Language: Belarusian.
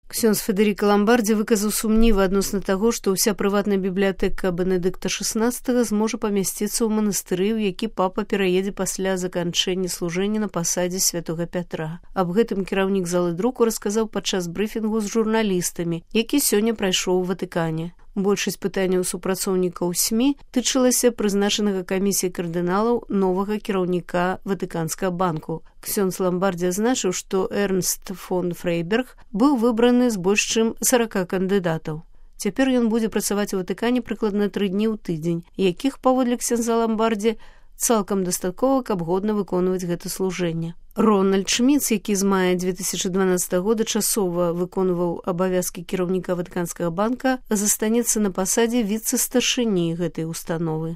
Ксёндз Федэріка Ламбардзі выказаў сумнівы адносна таго, што ўся прыватная бібліятэка Бенедыкта XVI зможа памясціцца ў манастыры, у які папа пераедзе пасля заканчэння служэння на пасадзе святога Пятра. Аб гэтым кіраўнік залы друку расказаў падчас брыфінгу з журналістамі, які сёння прайшоў у Ватыкане. Большасць пытанняў супрацоўнікаў СМІ тычылася прызначанага камісіяй кардыналаў новага кіраўніка Ватыканскага банку. Ксёндз Ламбардзі азначыў, што Эрнст фон Фрейберг быў выбраны з больш чым 40 кандыдатаў. Цяпер ён будзе працаваць у Ватыкане прыкладна 3 дні ў тыдзень, якіх, паводле ксёндза Ламбардзі, цалкам дастаткова, каб годна выконваць гэта служэнне. Рональд Шміц, які з мая 2012 года часова выконваў абавязкі кіраўніка Ватыканскага банка, застанецца на пасадзе віцэ-старшыні гэтай установы.